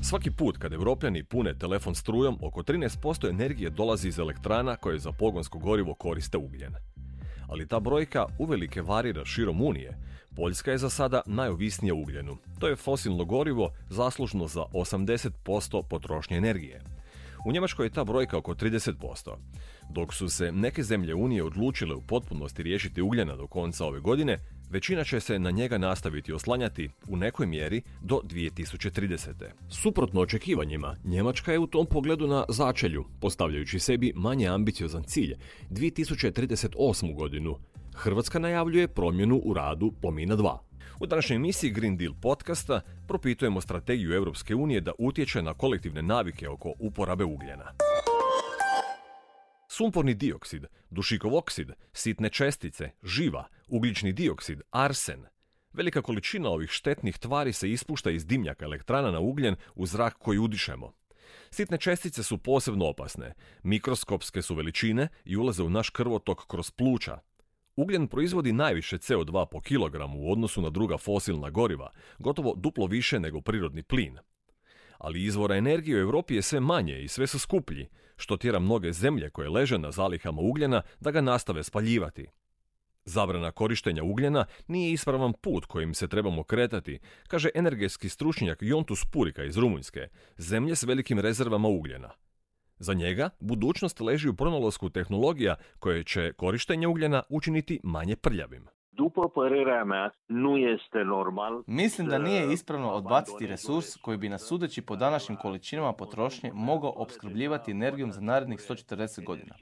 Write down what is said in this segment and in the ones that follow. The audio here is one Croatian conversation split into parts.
Svaki put kad Europljani pune telefon strujom, oko 13% energije dolazi iz elektrana koje za pogonsko gorivo koriste ugljen. Ali ta brojka uvelike varira širom Unije. Poljska je za sada najovisnija ugljenu. To je fosilno gorivo zaslužno za 80% potrošnje energije. U Njemačkoj je ta brojka oko 30%. Dok su se neke zemlje Unije odlučile u potpunosti riješiti ugljena do konca ove godine, većina će se na njega nastaviti oslanjati u nekoj mjeri do 2030. Suprotno očekivanjima, Njemačka je u tom pogledu na začelju, postavljajući sebi manje ambiciozan cilj, 2038. godinu. Hrvatska najavljuje promjenu u radu Plomina 2. U današnjoj emisiji Green Deal podcasta propitujemo strategiju Europske unije da utječe na kolektivne navike oko uporabe ugljena. Sumporni dioksid, dušikov oksid, sitne čestice, živa, ugljični dioksid, arsen. Velika količina ovih štetnih tvari se ispušta iz dimnjaka elektrana na ugljen u zrak koji udišemo. Sitne čestice su posebno opasne, mikroskopske su veličine i ulaze u naš krvotok kroz pluća. Ugljen proizvodi najviše CO2 po kilogramu u odnosu na druga fosilna goriva, gotovo duplo više nego prirodni plin. Ali izvora energije u Europi je sve manje i sve su skuplji, što tjera mnoge zemlje koje leže na zalihama ugljena da ga nastave spaljivati. Zabrana korištenja ugljena nije ispravan put kojim se trebamo kretati, kaže energetski stručnjak Jontus Purika iz Rumunjske, zemlje s velikim rezervama ugljena. Za njega budućnost leži u pronalasku tehnologija koje će korištenje ugljena učiniti manje prljavim. Mislim da nije ispravno odbaciti resurs koji bi nas sudeći po današnjim količinama potrošnje mogao opskrbljivati energijom za narednih 140 godina.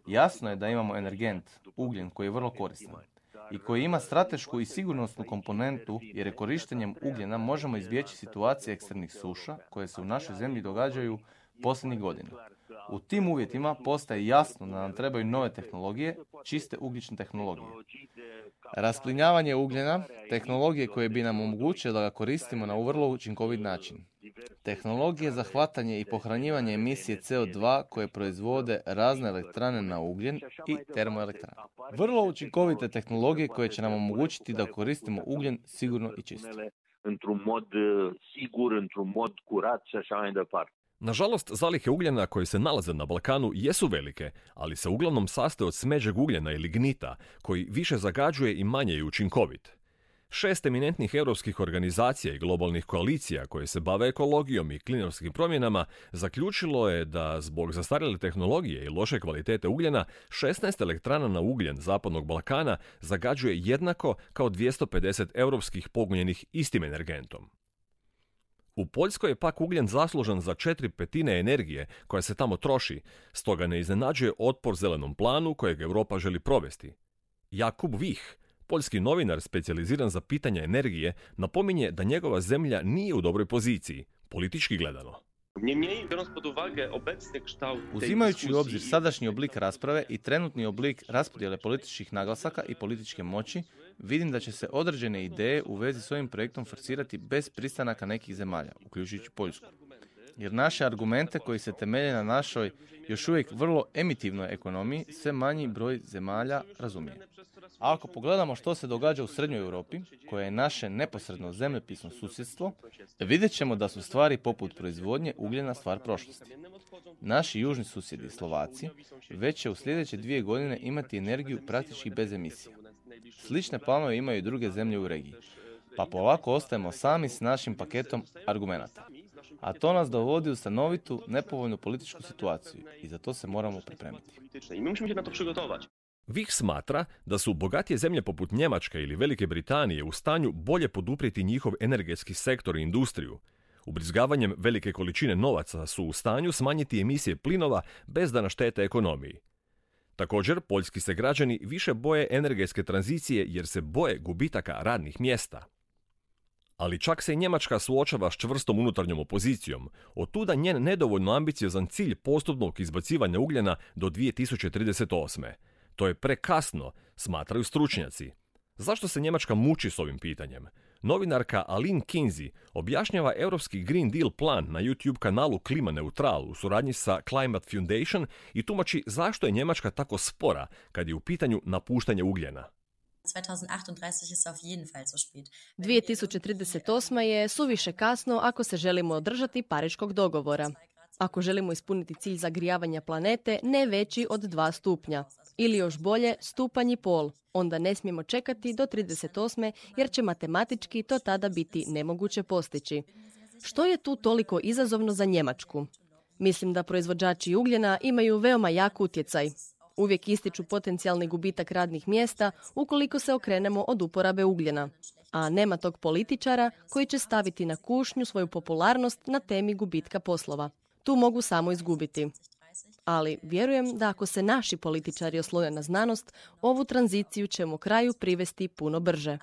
Jasno je da imamo energent, ugljen, koji je vrlo koristan i koji ima stratešku i sigurnosnu komponentu jer je korištenjem ugljena možemo izbjeći situacije ekstremnih suša koje se u našoj zemlji događaju posljednjih godina. U tim uvjetima postaje jasno da nam trebaju nove tehnologije, čiste ugljične tehnologije. Rasplinjavanje ugljena, tehnologije koje bi nam omogućile da ga koristimo na vrlo učinkovit način. Tehnologije za hvatanje i pohranjivanje emisije CO2 koje proizvode razne elektrane na ugljen i termoelektrane. Vrlo učinkovite tehnologije koje će nam omogućiti da koristimo ugljen sigurno i čisto. Nažalost, zalihe ugljena koje se nalaze na Balkanu jesu velike, ali se uglavnom sastoje od smeđeg ugljena i lignita, koji više zagađuje i manje je učinkovit. 6 eminentnih europskih organizacija i globalnih koalicija koje se bave ekologijom i klimatskim promjenama zaključilo je da zbog zastarjele tehnologije i loše kvalitete ugljena 16 elektrana na ugljen Zapadnog Balkana zagađuje jednako kao 250 europskih pogonjenih istim energentom. U Poljskoj je pak ugljen zaslužan za 4/5 energije koja se tamo troši, stoga ne iznenađuje otpor zelenom planu kojeg Europa želi provesti. Jakub Vih, poljski novinar specijaliziran za pitanja energije, napominje da njegova zemlja nije u dobroj poziciji, politički gledano. Uzimajući u obzir sadašnji oblik rasprave i trenutni oblik raspodjele političkih naglasaka i političke moći, vidim da će se određene ideje u vezi s ovim projektom forsirati bez pristanaka nekih zemalja, uključujući Poljsku. Jer naše argumente koji se temelje na našoj još uvijek vrlo emitivnoj ekonomiji sve manji broj zemalja razumije. A ako pogledamo što se događa u Srednjoj Europi, koja je naše neposredno zemljopisno susjedstvo, vidjet ćemo da su stvari poput proizvodnje ugljena stvar prošlosti. Naši južni susjedi, Slovaci, već će u sljedeće 2 godine imati energiju praktički bez emisija. Slične planove imaju i druge zemlje u regiji, pa polako ostajemo sami s našim paketom argumenata. A to nas dovodi u stanovitu, nepovoljnu političku situaciju i za to se moramo pripremiti. Vih smatra da su bogatije zemlje poput Njemačke ili Velike Britanije u stanju bolje poduprijeti njihov energetski sektor i industriju. Ubrizgavanjem velike količine novaca su u stanju smanjiti emisije plinova bez da naštete ekonomiji. Također, poljski se građani više boje energetske tranzicije jer se boje gubitaka radnih mjesta. Ali čak se i Njemačka suočava s čvrstom unutarnjom opozicijom, otuda njen nedovoljno ambiciozan cilj postupnog izbacivanja ugljena do 2038. To je prekasno, smatraju stručnjaci. Zašto se Njemačka muči s ovim pitanjem? Novinarka Aline Kinsey objašnjava europski Green Deal plan na YouTube kanalu Klima Neutral u suradnji sa Climate Foundation i tumači zašto je Njemačka tako spora kad je u pitanju napuštanje ugljena. 2038. je suviše kasno ako se želimo održati Pariškog dogovora. Ako želimo ispuniti cilj zagrijavanja planete ne veći od 2 stupnja. Ili još bolje, 1,5 stupnja, onda ne smijemo čekati do 38. jer će matematički to tada biti nemoguće postići. Što je tu toliko izazovno za Njemačku? Mislim da proizvođači ugljena imaju veoma jak utjecaj. Uvijek ističu potencijalni gubitak radnih mjesta ukoliko se okrenemo od uporabe ugljena. A nema tog političara koji će staviti na kušnju svoju popularnost na temi gubitka poslova. Tu mogu samo izgubiti. Ali vjerujem da ako se naši političari oslone na znanost, ovu tranziciju ćemo kraju privesti puno brže.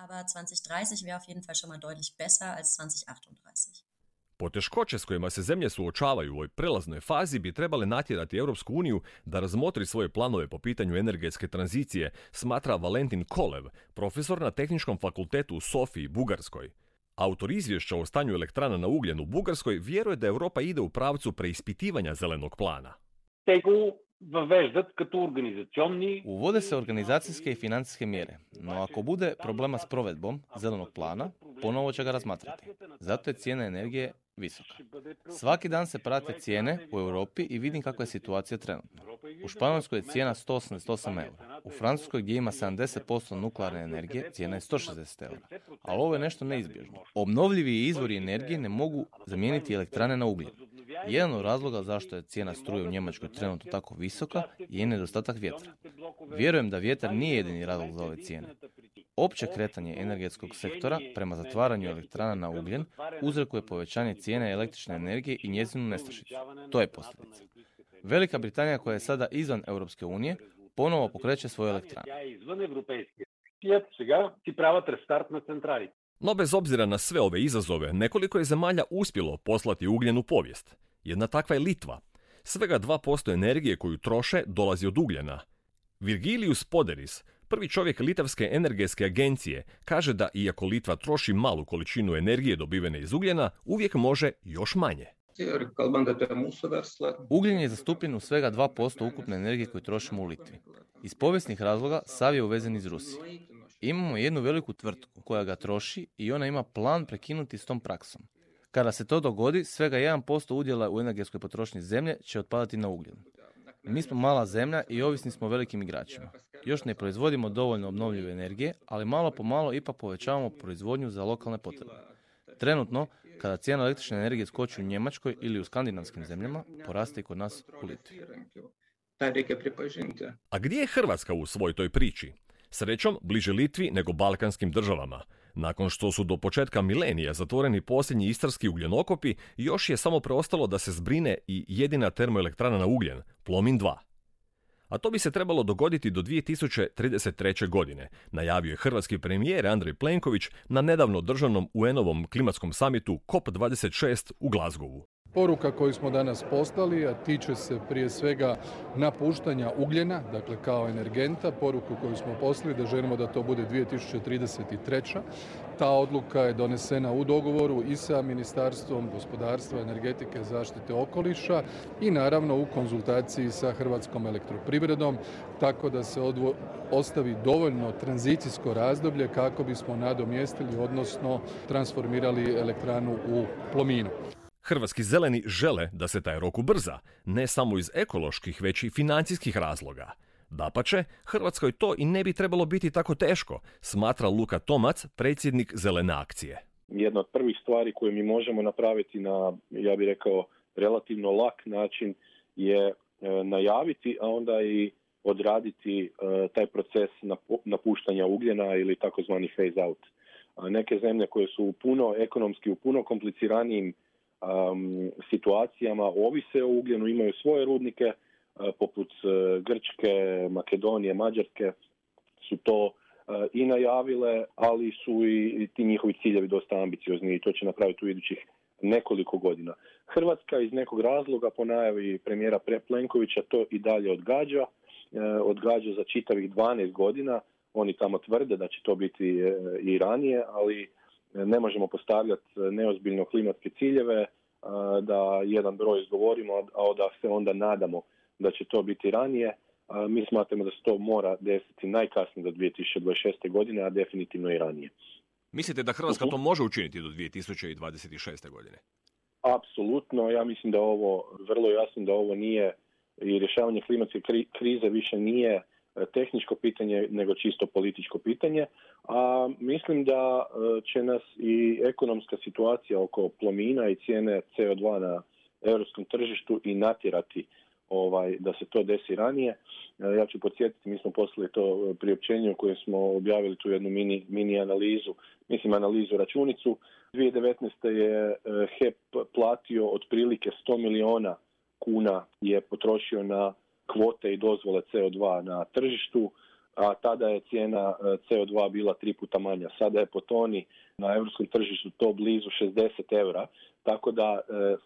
Poteškoće s kojima se zemlje suočavaju u ovoj prelaznoj fazi bi trebale natjerati Europsku uniju da razmotri svoje planove po pitanju energetske tranzicije, smatra Valentin Kolev, profesor na Tehničkom fakultetu u Sofiji, Bugarskoj. Autor izvješća o stanju elektrana na ugljen u Bugarskoj vjeruje da Europa ide u pravcu preispitivanja zelenog plana. Uvode se organizacijske i financijske mjere, no ako bude problema s provedbom zelenog plana, ponovo će ga razmatrati. Zato je cijena energije visoka. Svaki dan se prate cijene u Europi i vidim kakva je situacija trenutno. U Španjolskoj je cijena 188 eura. U Francuskoj gdje ima 70% nuklearne energije, cijena je 160 eura. Ali ovo je nešto neizbježno. Obnovljivi izvori energije ne mogu zamijeniti elektrane na ugljen. Jedan od razloga zašto je cijena struje u Njemačkoj trenutno tako visoka je nedostatak vjetra. Vjerujem da vjetar nije jedini razlog za ove cijene. Opće kretanje energetskog sektora prema zatvaranju elektrana na ugljen uzrokuje povećanje cijene električne energije i njezinu nestašicu. To je posljedica. Velika Britanija, koja je sada izvan Europske unije, ponovo pokreće svoje elektrane. No bez obzira na sve ove izazove, nekoliko je zemalja uspjelo poslati ugljen u povijest. Jedna takva je Litva. Svega 2% energije koju troše dolazi od ugljena. Virgilijus Poderis, prvi čovjek Litavske energetske agencije, kaže da iako Litva troši malu količinu energije dobivene iz ugljena, uvijek može još manje. Ugljen je zastupljen u svega 2% ukupne energije koju trošimo u Litvi. Iz povijesnih razloga sav je uvezen iz Rusije. Imamo jednu veliku tvrtku koja ga troši i ona ima plan prekinuti s tom praksom. Kada se to dogodi, svega 1% udjela u energetskoj potrošnji zemlje će otpadati na ugljen. Mi smo mala zemlja i ovisni smo velikim igračima. Još ne proizvodimo dovoljno obnovljive energije, ali malo po malo ipak povećavamo proizvodnju za lokalne potrebe. Trenutno, kada cijena električne energije skoči u Njemačkoj ili u skandinavskim zemljama, poraste i kod nas u Litvi. A gdje je Hrvatska u svoj toj priči? Srećom, bliže Litvi nego balkanskim državama. Nakon što su do početka milenija zatvoreni posljednji istarski ugljenokopi, još je samo preostalo da se zbrine i jedina termoelektrana na ugljen, Plomin 2. A to bi se trebalo dogoditi do 2033. godine, najavio je hrvatski premijer Andrej Plenković na nedavno održanom UN-ovom klimatskom samitu COP26 u Glasgowu. Poruka koju smo danas poslali, a tiče se prije svega napuštanja ugljena, dakle kao energenta, poruku koju smo poslali da želimo da to bude 2033. Ta odluka je donesena u dogovoru i sa Ministarstvom gospodarstva, energetike, zaštite okoliša i naravno u konzultaciji sa Hrvatskom elektroprivredom, tako da se ostavi dovoljno tranzicijsko razdoblje kako bismo nadomjestili, odnosno transformirali elektranu u Plominu. Hrvatski zeleni žele da se taj rok ubrza, ne samo iz ekoloških, već i financijskih razloga. Dapače, Hrvatskoj to i ne bi trebalo biti tako teško, smatra Luka Tomac, predsjednik Zelene akcije. Jedna od prvih stvari koje mi možemo napraviti na, ja bih rekao, relativno lak način je najaviti, a onda i odraditi taj proces napuštanja ugljena ili takozvani phase out. Neke zemlje koje su ekonomski u puno kompliciranijim situacijama ovise o ugljenu, imaju svoje rudnike, poput Grčke, Makedonije, Mađarske su to i najavile, ali su i ti njihovi ciljevi dosta ambiciozni i to će napraviti u idućih nekoliko godina. Hrvatska iz nekog razloga po najavi premijera Plenkovića to i dalje odgađa za čitavih 12 godina. Oni tamo tvrde da će to biti i ranije, ali ne možemo postavljati neozbiljno klimatske ciljeve, da jedan broj izgovorimo, a da se onda nadamo da će to biti ranije. Mi smatramo da se to mora desiti najkasnije do 2026. godine, a definitivno i ranije. Mislite da Hrvatska to može učiniti do 2026. godine? Apsolutno, ja mislim da ovo vrlo jasno da ovo nije i rješavanje klimatske krize više nije tehničko pitanje nego čisto političko pitanje, a mislim da će nas i ekonomska situacija oko Plomina i cijene CO2 na europskom tržištu i natjerati da se to desi ranije. Ja ću podsjetiti, mi smo poslali to priopćenje u kojem smo objavili tu jednu mini analizu, analizu računicu. 2019. je HEP platio otprilike 100 milijuna kuna je potrošio na kvote i dozvole CO2 na tržištu, a tada je cijena CO2 bila 3 puta manja. Sada je po toni na europskom tržištu to blizu 60 eura, tako da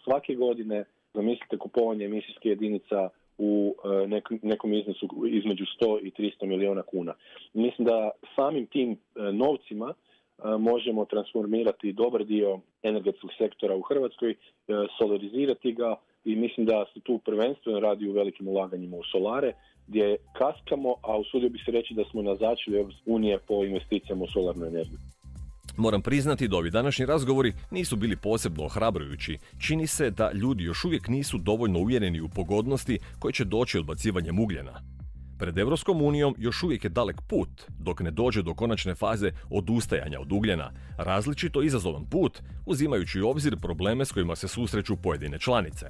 svake godine zamislite kupovanje emisijskih jedinica u nekom iznosu između 100 i 300 milijuna kuna. Mislim da samim tim novcima možemo transformirati dobar dio energetskog sektora u Hrvatskoj, solarizirati ga i mislim da se tu prvenstveno radi u velikim ulaganjima u solare, gdje kaskamo, a usudio bih se reći da smo na začelju Europske unije po investicijama u solarnu energiju. Moram priznati da ovi današnji razgovori nisu bili posebno ohrabrujući. Čini se da ljudi još uvijek nisu dovoljno uvjereni u pogodnosti koje će doći odbacivanjem ugljena. Pred Europskom unijom još uvijek je dalek put dok ne dođe do konačne faze odustajanja od ugljena, različito izazovan put uzimajući u obzir probleme s kojima se susreću pojedine članice.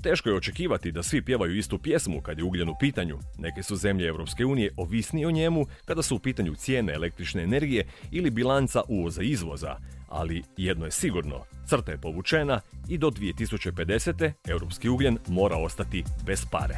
Teško je očekivati da svi pjevaju istu pjesmu kad je ugljen u pitanju. Neke su zemlje Europske unije ovisnije o njemu kada su u pitanju cijene električne energije ili bilanca uvoza-izvoza, ali jedno je sigurno, crta je povučena i do 2050. europski ugljen mora ostati bez pare.